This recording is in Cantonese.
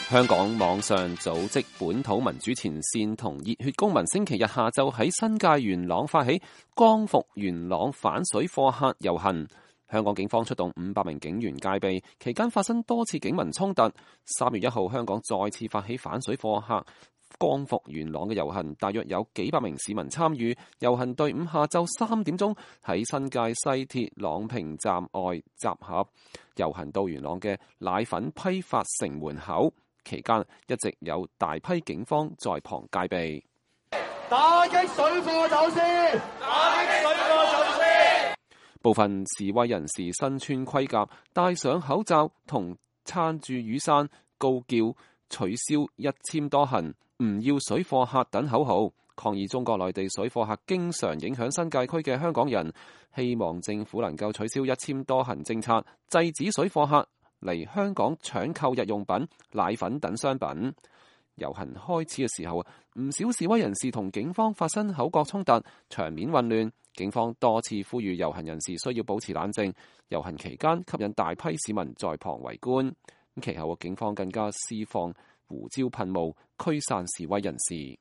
香港網上組織本土民主前線同熱血公民星期日下晝喺新界元朗發起光復元朗反水貨客遊行。香港警方出動500名警員戒備，期間發生多次警民衝突。3月1號，香港再次發起反水貨客光復元朗嘅遊行，大約有幾百名市民參與。遊行隊伍下晝3點鐘喺新界西鐵朗屏站外集合，遊行到元朗嘅奶粉批發城門口。期間一直有大批警方在旁戒備，打擊水貨走私，打擊水貨走私。部分示威人士身穿盔甲，戴上口罩同撐住雨傘，高叫取消一簽多行、唔要水貨客等口號，抗議中國內地水貨客經常影響新界區嘅香港人，希望政府能夠取消一簽多行政策，制止水貨客嚟香港搶購日用品、奶粉等商品。遊行開始嘅時候，唔少示威人士同警方發生口角衝突，場面混亂。警方多次呼籲遊行人士需要保持冷靜。遊行期間吸引大批市民在旁圍觀。其後警方更加施放胡椒噴霧驅散示威人士。